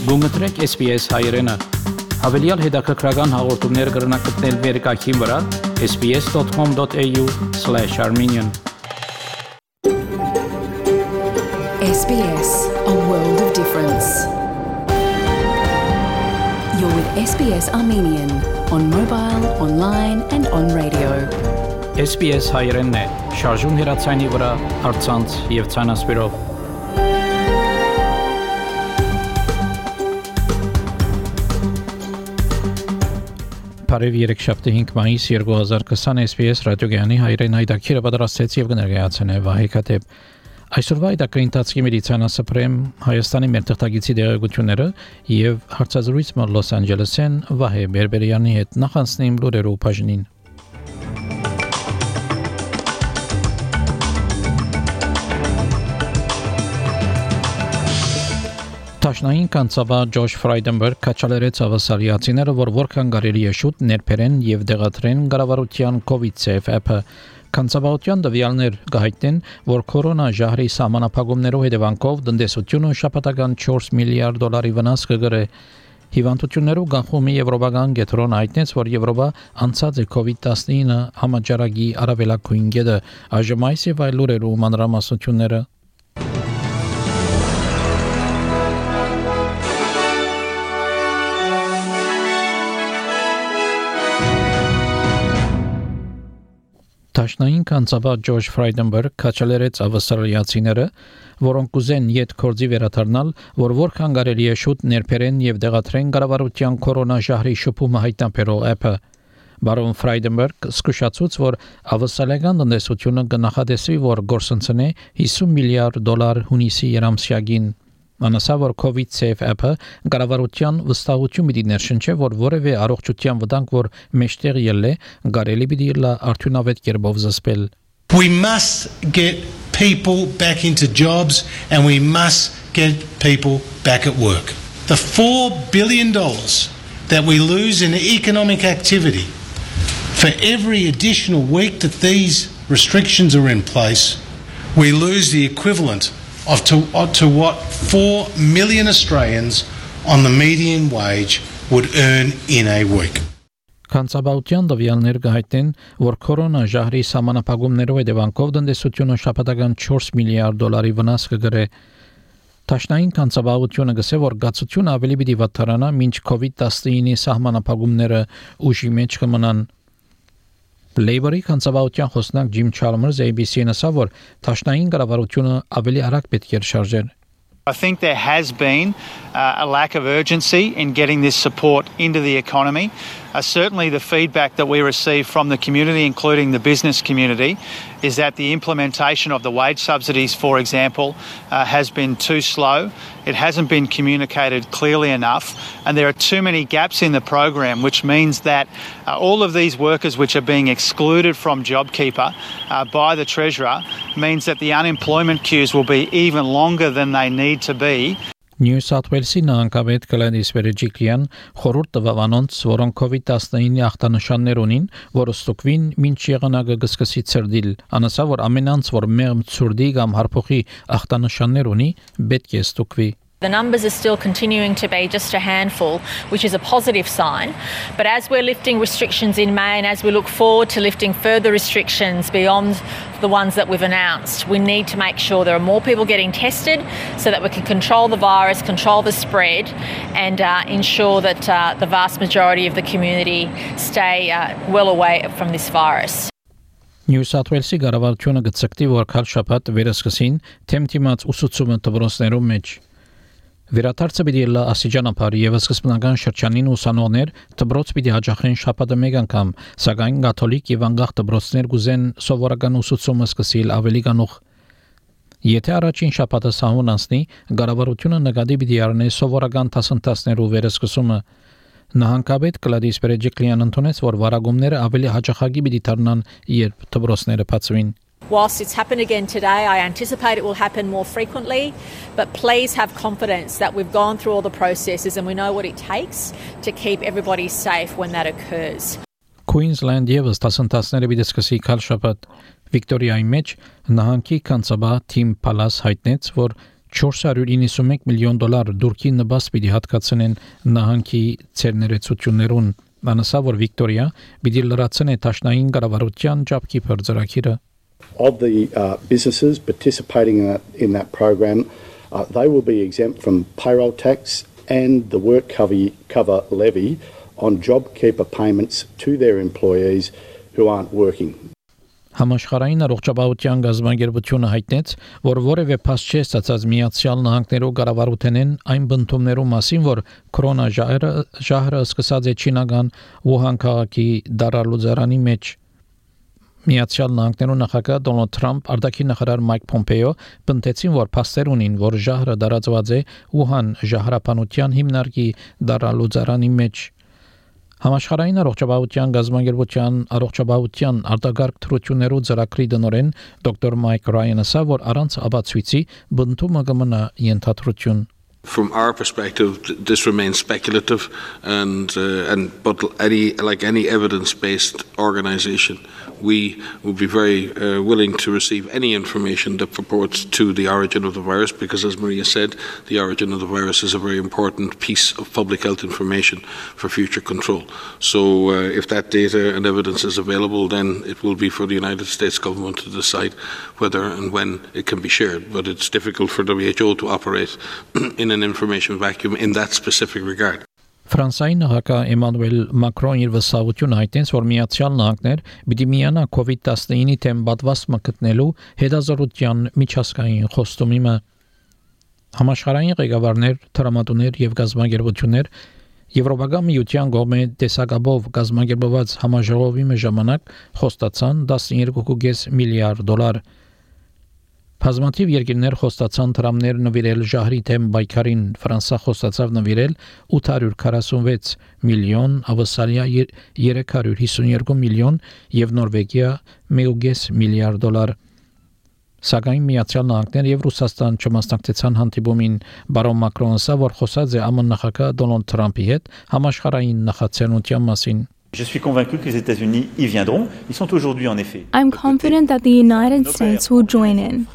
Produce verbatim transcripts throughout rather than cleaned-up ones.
Գումտրեք S B S հայերենը։ Հավելյալ հետաքրքրական հաղորդումներ կգրնակցնել վերկայքին վրա s b s dot com dot a u slash armenian S B S, a world of difference. You're with S B S Armenian on mobile, online and on radio. S B S հայերենն է, շարժուն հեռացայինի վրա, առցանց եւ ցանասպիրով։ Բարև երեքշաբթի հինգ մայիս երկու հազար քսան S B S ռադիոգյանի հայրեն հայտակիրը պատրաստեց եւ կներկայացնե Վահե Քաթեփ։ Այսօրվա հայտակրի ընթացքի մեդիցինասպրեմ Հայաստանի մեր թղթակիցի դերակցությունները եւ հարցազրույցը Լոս Անջելեսեն Վահե Բերբերյանի հետ նախանցնիմ լուրերով բաժնին։ Տաշնային կանցավա Ջոշ Ֆրայդենբերգ կաչալերեց ավասալիացիները, որ որքան կարելի է շուտ ներբերեն եւ դեղատրեն կառավարության COVID-Safe app-ը։ Կանցավայության տվյալներ կհայտնեն, որ կորոնա ժահրի սահմանափակումներով հետևանքով տնտեսությունը շաբաթական չորս միլիարդ դոլարի վնաս կգրե։ Հիվանդություններով կանխումի Եվրոպական կենտրոնը հայտնեց, որ Եվրոպա անցած է COVID տասնինը համաճարակի առավելագույն գետը։ Այժմ այս եւ այլ լուրերով մանրամասնությունները։ Տաշնային կանցավա Ջոշ Ֆրայդենբերգ կաչալերեց ավասալիացիները, որոնք կուզեն յետ կորձի վերադառնալ, որ որքան կարելի է շուտ ներբերեն եւ դեղատրեն կառավարության կորոնա ժահրի շփումը հայտնաբերող app-ը։ Բարոն Ֆրայդենբերգ զսկուշացուց, որ ավասալական տնտեսությունը կնախադեсվի, որ գործընծնե հիսուն միլիարդ դոլար հունիսի երամսյակին։ Անասա որ COVID-Safe app-ը կառավարության վստահություն պիտի ներշնչի, որ որևէ առողջության վտանգ, որ մեջտեղ ելե, կարելի պիտի լա արդյունավետ կերպով զսպել։ We must get people back into jobs and we must get people back at work. The four billion dollars that we lose in economic activity for every additional week that these restrictions are in place, we lose the equivalent of to, to what four million Australians on the median wage would earn in a week. Կանցաբաության տվյալներ կհայտնեն, որ կորոնա ժահրի սահմանափակումներով հետևանքով տնտեսությունը շաբաթական չորս միլիարդ դոլարի վնաս կգրե։ Տաշնային կանցաբաությունը գսե, որ գացությունը ավելի պիտի վատթարանա, մինչ COVID տասնինի սահմանափակումները ուժի մեջ կմնան։ Labour-ի կանցաբաության խոսնակ Ջիմ Չալմերս A B C-ին ասավ, որ տաշնային կառավարությունը ավելի արագ պետք է շարժեր։ I think there has been uh, a lack of urgency in getting this support into the economy. Uh, certainly the feedback that we receive from the community, including the business community, is that the implementation of the wage subsidies, for example, uh, has been too slow. It hasn't been communicated clearly enough, and there are too many gaps in the program, which means that uh, all of these workers which are being excluded from JobKeeper uh, by the Treasurer means that the unemployment queues will be even longer than they need to be. New South Wales-ի նահանգապետ Գլադիս Բերեջիկլյան խորհուրդ տվավ անոնց, որոնք COVID տասնինի ախտանշաններ ունին, որ ստուգվին մինչ եղանակը կսկսի ցրդիլ։ Անասա, որ ամենանց, որ մեղմ ցուրդի կամ հարփոխի ախտանշաններ ունի, պետք է ստուգվի։ The numbers are still continuing to be just a handful, which is a positive sign. But as we're lifting restrictions in May and as we look forward to lifting further restrictions beyond the ones that we've announced, we need to make sure there are more people getting tested so that we can control the virus, control the spread, and uh, ensure that uh, the vast majority of the community stay uh, well away from this virus. New South Wales-ի կառավարությունը գծկտի, որ քալ շաբաթ վերսկսին թեմթիմաց ուսուցումը դպրոցներում մեջ։ Վերաթարցը պիտի լա ասիջանապար եւ սկզբնական շրջանին ուսանողներ դպրոց պիտի հաջախեն շաբաթը մեկ անգամ, սակայն կաթոլիկ եւ անգախ դպրոցներ կուզեն սովորական ուսուցումը սկսել ավելի կանուխ։ Եթե առաջին շաբաթը սահուն անցնի, կառավարությունը նկատի պիտի առնի սովորական դասընթացներով վերսկսումը։ Նահանգապետ Գլադիս Բերեջիկլյան ընդունեց, որ վարագումները ավելի հաջախակի պիտի դառնան, երբ դպրոցները բացվին։ Whilst it's happened again today, I anticipate it will happen more frequently, but please have confidence that we've gone through all the processes and we know what it takes to keep everybody safe when that occurs. Queensland եւս դասընթացները պիտի սկսի քալ շաբաթ։ Վիկտորիայի մեջ նահանգի կանցաբա Թիմ Պալաս հայտնեց, որ four hundred ninety-one միլիոն դոլար դուրքի նպաստ պիտի հատկացնեն նահանգի ցերներեցություններուն անասա որ Վիկտորիա պիտի լրացնե տաշնային կառավարության ջապքի փորձարակիրը Of the uh, businesses participating in that, in that program, uh, they will be exempt from payroll tax and the work cover, cover levy on JobKeeper payments to their employees who aren't working. Համաշխարհային առողջապահության գազագերբությունը հայտնեց, որ որևէ փաստ չէ ստացած Միացյալ Նահանգներու կառավարութենեն այն բնդումներու մասին, որ կորոնա ժահրը ժահրը սկսած է չինական Ուհան քաղաքի դարալուծարանի մեջ Միացյալ Նահանգներու նախագահ Դոնալդ Թրամփ արտաքին նախարար Մայք Պոմպեո բնդեցին, որ փաստեր ունին, որ ժահրը դարածված է Ուհան ժահրապանության հիմնարկի դարալուծարանի մեջ Համաշխարհային առողջապահության գազագերբության առողջապահության արտագարկ թրություններու ծրագրի դնորեն դոկտոր Մայք Ռայանը ասա, որ առանց ապացույցի բնդումը կմնա ենթադրություն From our perspective, this remains speculative, and uh, and but any like any evidence-based organisation, we would be very uh, willing to receive any information that purports to the origin of the virus, because, as Maria said, the origin of the virus is a very important piece of public health information for future control. So, uh, if that data and evidence is available, then it will be for the United States government to decide whether and when it can be shared. But it's difficult for W H O to operate in an information vacuum in that specific regard. Ֆրանսիայի նախագահ Էմանուել Մակրոն իր վստահությունը հայտնեց, որ Միացյալ Նահանգներ պիտի միանա COVID nineteen-ի թեմ պատվաստումը գտնելու հետազոտության միջազգային խոստումը Համաշխարհային ղեկավարներ, տրամադուներ եւ գազագերբություններ Եվրոպական միության կողմէ տեսակաբով գազագերբված համաժողովի ժամանակ խոստացան twelve point five միլիարդ դոլար Բազմաթիվ երկրներ խոստացան տրամներ նվիրել ժահրի թեմ բայկարին Ֆրանսա խոստացավ նվիրել eight hundred forty-six միլիոն, Ավստրալիա three hundred fifty-two միլիոն եւ Նորվեգիա one point five միլիարդ դոլար Սակայն Միացյալ Նահանգներ եւ Ռուսաստան չմասնակցեցան հանդիպումին բարոն Մակրոնը ասա, որ խոսած է ԱՄՆ նախագահ Դոնալդ Թրամփի հետ համաշխարհային նախաձեռնության մասին Je suis convaincu que les États-Unis y viendront. Ils sont aujourd'hui en effet. I'm confident that the United States will join in.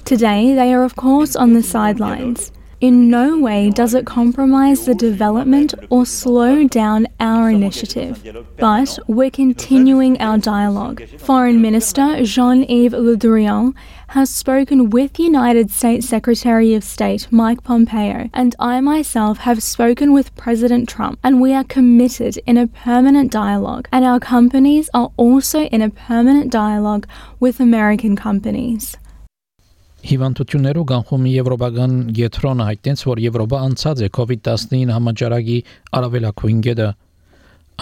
Today, they are of course on the sidelines. In no way does it compromise the development or slow down our initiative. But we're continuing our dialogue. Foreign Minister Jean-Yves Le Drian has spoken with United States Secretary of State Mike Pompeo, and I myself have spoken with President Trump, and we are committed in a permanent dialogue, and our companies are also in a permanent dialogue with American companies. Հիվանդություններու կանխումի Եվրոպական գետրոնը հայտնեց, որ Եվրոպա անցած է COVID nineteen համաճարակի առավելագույն գետը։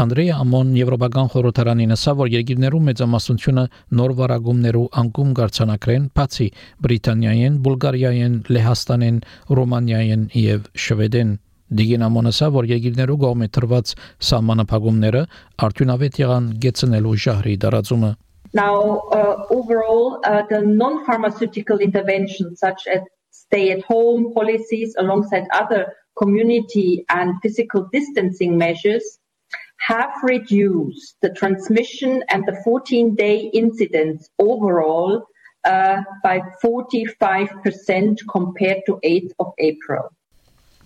Անդրեյ Ամոն Եվրոպական խորհրդարանին ասա, որ երկրներու մեծամասնությունը նոր վարագումներու անկում գարցանակրեն, բացի Բրիտանիայեն, Բուլղարիայեն, Լեհաստանեն, Ռոմանիայեն եւ Շվեդեն։ Դիգին Ամոնը ասա, որ երկրներու կողմէ տրված սահմանափակումները արդյունավետ եղան գեցնելու ժահրի դարածումը։ Now, uh, overall, uh, the non-pharmaceutical interventions such as stay-at-home policies alongside other community and physical distancing measures have reduced the transmission and the fourteen-day incidence overall uh, by forty-five percent compared to eighth of April.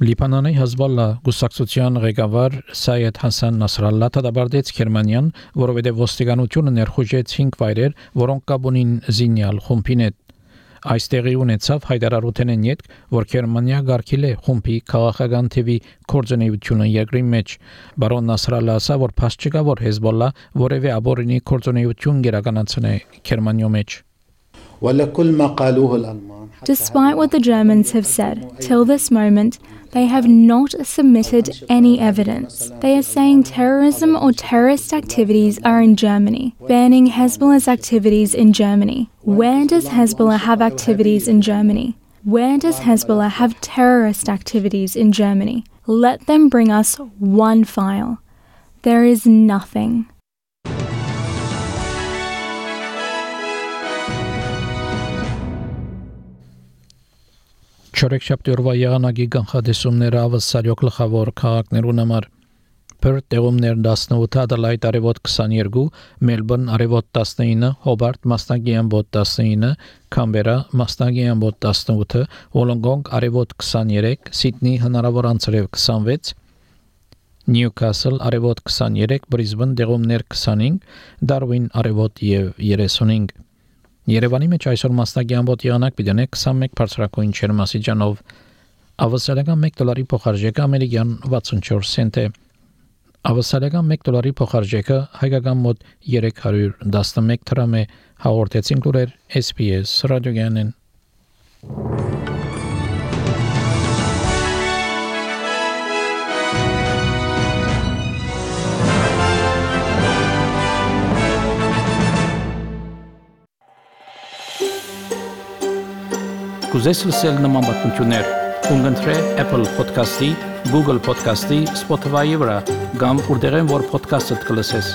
Լիբանանի Հեզբոլլա գուսակցության ղեկավար Սայեդ Հասան Նասրալլա դադարեց Գերմանիան, որովհետև ոստիկանությունը ներխուժեց cinq վայրեր, որոնք կապ ունին զինյալ խումբին հետ։ Այս տեղի ունեցավ հայտարարութենեն յետք, որ Գերմանիա գարկել է խումբի քաղաքական թևի կորձունեությունը երկրի մեջ։ Բարոն Նասրալլա ասա, որ փաստ չկա, որ Հեզբոլլա որևէ աբորինի կորձունեություն գերականացնե Գերմանիո մեջ։ Despite what the Germans have said, till this moment, they have not submitted any evidence. They are saying terrorism or terrorist activities are in Germany, banning Hezbollah's activities in Germany. Where does Hezbollah have activities in Germany? Where does Hezbollah have terrorist activities in Germany? Let them bring us one file. There is nothing. Չորեքշաբթի օրվա եղանակի կանխատեսումները ավսարյո գլխավոր քաղաքներուն համար Perth տեղումներ տասնութ, Adelaide արևոտ քսաներկու, Melbourne արևոտ տասնինը, Hobart մասնագի ամբոտ տասնինը, Canberra մասնագի ամբոտ տասնութ, Wollongong արևոտ քսաներեք, Sydney հնարավոր անցրև քսանվեց, Newcastle արևոտ քսաներեք, Brisbane տեղումներ քսանհինգ, Darwin արևոտ եւ երեսունհինգ։ Երևանի մեջ այսօր մասնագի ամբոտ եղանակ պիտի քսանմեկ բարձրակույն ջերմասիջանով, ավսալական մեկ դոլարի փոխարժեքը ամերիկյան վաթսունչորս سنت է։ Ավսալական մեկ դոլարի փոխարժեքը հայկական մոտ երեք հարյուր տասնմեկ դրամ է, հաղորդեցին լուրեր S B S ռադիոգյանեն։ Կուզես լսել նման բանություններ, կընտրե Apple Podcast-ի, Google Podcast-ի, Spotify-ի վրա, կամ որտեղեն որ podcast-ը կլսես։